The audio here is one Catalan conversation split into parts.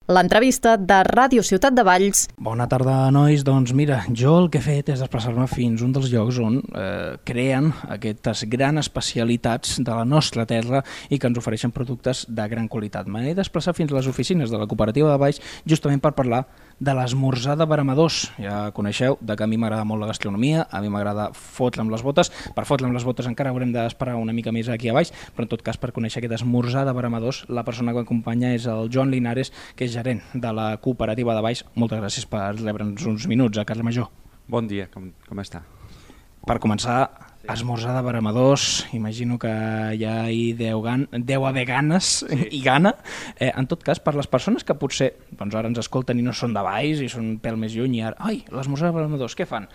L'entrevista de Ràdio Ciutat de Valls. Bona tarda, nois. Doncs mira, jo el que he fet és desplaçar-me fins a un dels llocs on creen aquestes grans especialitats de la nostra terra i que ens ofereixen productes de gran qualitat. M'he desplaçat fins a les oficines de la cooperativa de Valls justament per parlar de l'esmorzar de Veremadors. Ja coneixeu que a mi m'agrada molt la gastronomia, a mi m'agrada fotre amb les botes. Per fotre amb les botes encara haurem d'esperar una mica més aquí a baix, però en tot cas per conèixer aquest esmorzar de Veremadors la persona que m'acompanya és el Joan Linares, que és gerent de la cooperativa de Valls. Moltes gràcies per rebre'ns uns minuts a Carles Major. Bon dia, com està? Per començar, esmorzar de Veremadors, imagino que ja hi deu haver ganes i gana. En tot cas, per les persones que potser ara ens escolten i no són de Valls i són un pèl més lluny i ara, l'esmorzar de Veremadors, què fan?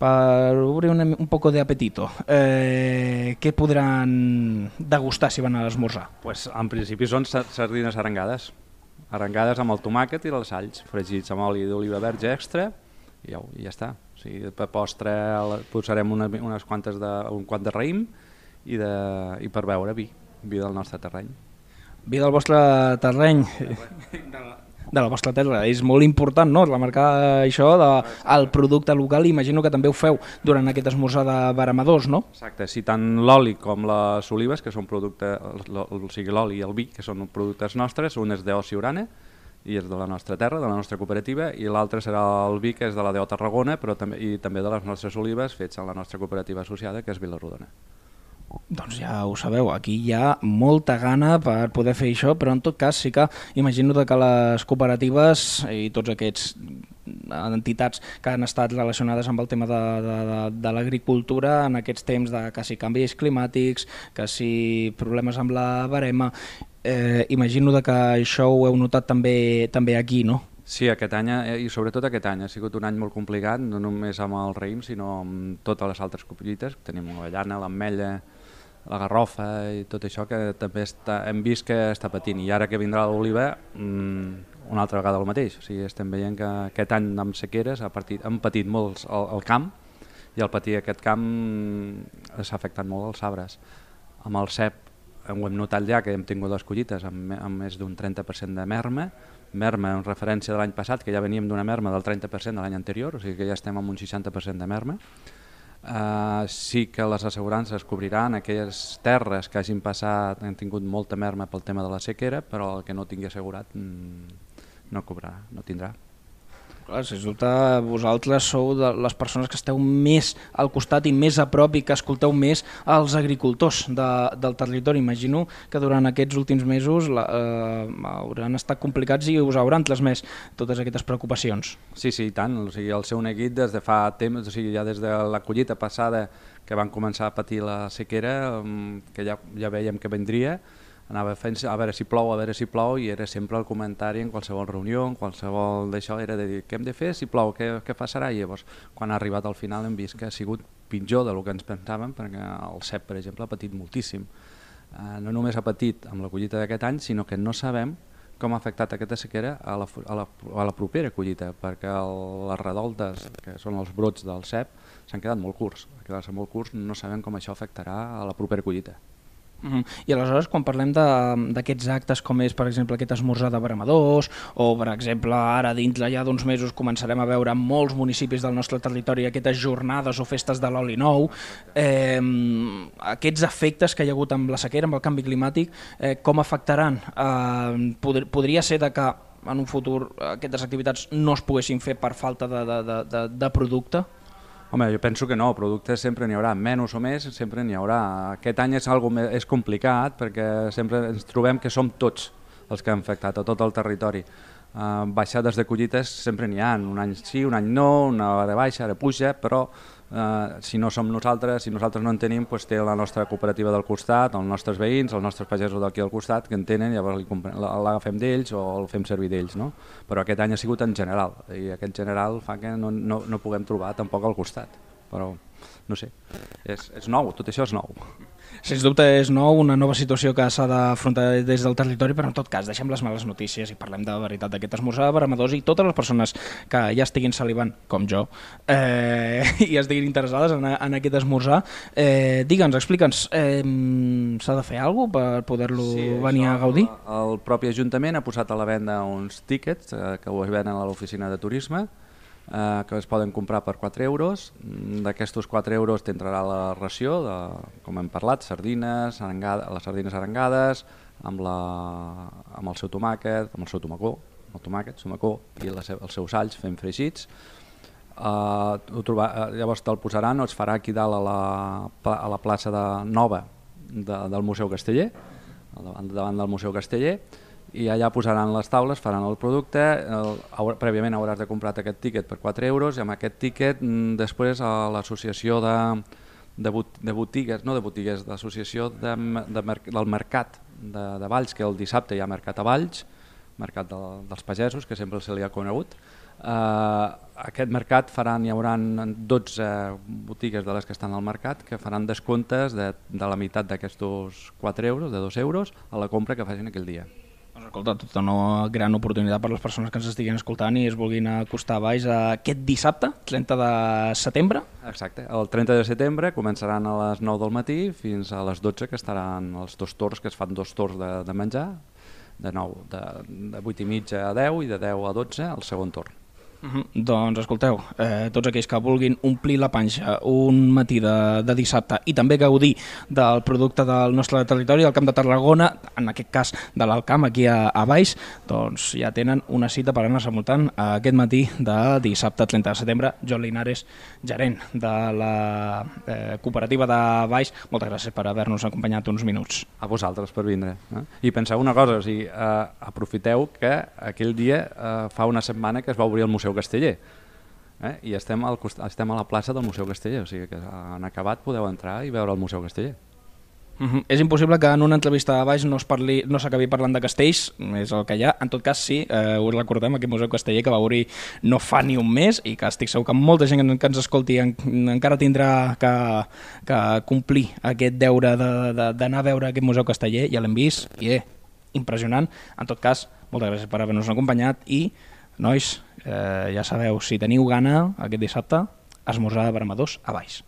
Per obrir un poco de apetito, què podran degustar si van a l'esmorzar? Pues, en principi són sardines arengades amb el tomàquet i els alls, fregits amb oli d'oliva verge extra i ja està. O sigui, per postre posarem un quant de raïm i per beure vi del nostre terreny. Vi del vostre terreny, de la vostra terra, és molt important, no?, remarcar això del producte local. Imagino que també ho feu durant aquest esmorzar de Veremadors, no? Exacte, sí, tant l'oli com les olives, que són productes, o sigui, l'oli i el vi, que són productes nostres, un és d'Oci Urana, i és de la nostra terra, de la nostra cooperativa, i l'altre serà el vi, que és de la DO Tarragona, però també de les nostres olives fets en la nostra cooperativa associada, que és Vila-rodona. Doncs ja ho sabeu, aquí hi ha molta gana per poder fer això, però en tot cas sí que imagino que les cooperatives i tots aquests entitats que han estat relacionades amb el tema de l'agricultura en aquests temps de que si canvis climàtics, que si problemes amb la verema, imagino que això ho heu notat també aquí, no? Sí, aquest any, i sobretot aquest any, ha sigut un any molt complicat, no només amb el raïm, sinó amb totes les altres collites. Tenim l'avellana, l'ametlla, la garrofa i tot això que també hem vist que està patint. I ara que vindrà l'oliva, una altra vegada el mateix. O sigui, estem veient que aquest any amb sequeres han patit molt el camp, i al patir aquest camp s'ha afectat molt els arbres. Amb el cep ho hem notat ja que hem tingut dues collites amb més d'un 30% de merma en referència de l'any passat, que ja veníem d'una merma del 30% de l'any anterior, o sigui que ja estem amb un 60% de merma. Sí que les assegurances cobriran aquelles terres que hagin han tingut molta merma pel tema de la sequera, però el que no tingui assegurat no cobrarà, no tindrà. Clar, sens dubte vosaltres sou de les persones que esteu més al costat i més a prop i que escolteu més els agricultors del territori. Imagino que durant aquests últims mesos hauran estat complicats i us hauran transmès totes aquestes preocupacions. Sí, i tant. O sigui, el seu neguit des de fa temps, o sigui, ja des de la collita passada que van començar a patir la sequera, que ja veiem que vendria, anava fent a veure si plou, i era sempre el comentari en qualsevol reunió, en qualsevol d'això, era de dir què hem de fer si plou, què passarà? I llavors, quan ha arribat al final, hem vist que ha sigut pitjor del que ens pensàvem, perquè el cep, per exemple, ha patit moltíssim. No només ha patit amb la collita d'aquest any, sinó que no sabem com ha afectat aquesta sequera a la propera collita, perquè les redoltes, que són els brots del cep, s'han quedat molt curts. A quedar-se molt curts no sabem com això afectarà a la propera collita. I aleshores, quan parlem d'aquests actes com és, per exemple, aquest esmorzar de Veremadors, o, per exemple, ara dintre ja d'uns mesos començarem a veure en molts municipis del nostre territori aquestes jornades o festes de l'oli nou, aquests efectes que hi ha hagut amb la sequera, amb el canvi climàtic, com afectaran? Podria ser que en un futur aquestes activitats no es poguessin fer per falta de producte? Home, jo penso que no, productes sempre n'hi haurà, menys o més sempre n'hi haurà. Aquest any és complicat perquè sempre ens trobem que som tots els que han afectat a tot el territori. Baixades de collites sempre n'hi ha, un any sí, un any no, una hora baixa, ara puja, però si no som nosaltres, si nosaltres no en tenim, doncs té la nostra cooperativa del costat, els nostres veïns, els nostres pagesos d'aquí al costat, que en tenen, llavors l'agafem d'ells o el fem servir d'ells, no? Però aquest any ha sigut en general, i aquest general fa que no puguem trobar tampoc al costat. Però no sé, és nou, tot això és nou. Sens dubte és nou, una nova situació que s'ha d'afrontar des del territori, però en tot cas deixem les males notícies i parlem de veritat d'aquest esmorzar de Veremadors, i totes les persones que ja estiguin salivant, com jo, i estiguin interessades en aquest esmorzar, digue'ns, explica'ns, s'ha de fer alguna cosa per poder-lo venir a gaudir? El propi Ajuntament ha posat a la venda uns tíquets que ho venen a l'oficina de turisme, que es poden comprar per 4 euros. D'aquestos 4 euros t'entrarà la ració, com hem parlat, sardines, les sardines arengades, amb el seu tomàquet, amb el seu tomacó, i els seus alls fent fregits. Llavors te'l posaran o es farà aquí dalt a la plaça nova del Museu Casteller, davant del Museu Casteller, i allà posaran les taules, faran el producte, prèviament hauràs de comprar aquest tíquet per 4 euros, i amb aquest tíquet després a l'associació de botigues, no de botigues, l'associació del mercat de Valls, que el dissabte hi ha mercat a Valls, mercat dels pagesos, que sempre se li ha conegut. Aquest mercat hi haurà 12 botigues de les que estan al mercat que faran descomptes de la meitat d'aquests 4 euros, de 2 euros, a la compra que facin aquell dia. Doncs escolta, tota una gran oportunitat per les persones que ens estiguin escoltant i es vulguin acostar a Valls aquest dissabte, 30 de setembre. Exacte, el 30 de setembre començaran a les 9 del matí fins a les 12, que estaran els dos torns, que es fan dos torns de menjar, de 8 i mitja a 10 i de 10 a 12 el segon torn. Doncs escolteu, tots aquells que vulguin omplir la panxa un matí de dissabte i també gaudir del producte del nostre territori, del Camp de Tarragona, en aquest cas de l'Alcamp aquí a Valls, doncs ja tenen una cita per anar-se muntant aquest matí de dissabte 30 de setembre. Joan Linares, gerent de la cooperativa de Valls, moltes gràcies per haver-nos acompanyat uns minuts. A vosaltres per vindre. I penseu una cosa, aprofiteu que aquell dia fa una setmana que es va obrir el Museu Casteller, i estem a la plaça del Museu Casteller, o sigui que en acabat podeu entrar i veure el Museu Casteller. És impossible que en una entrevista a Valls no s'acabi parlant de castells, és el que hi ha. En tot cas, sí, ho recordem, aquest Museu Casteller que va obrir no fa ni un mes i que estic segur que molta gent que ens escolti encara tindrà que complir aquest deure d'anar a veure aquest Museu Casteller. Ja l'hem vist i impressionant. En tot cas, moltes gràcies per haver-nos acompanyat i, nois, ja sabeu, si teniu gana aquest dissabte, esmorzar de Veremadors a Valls.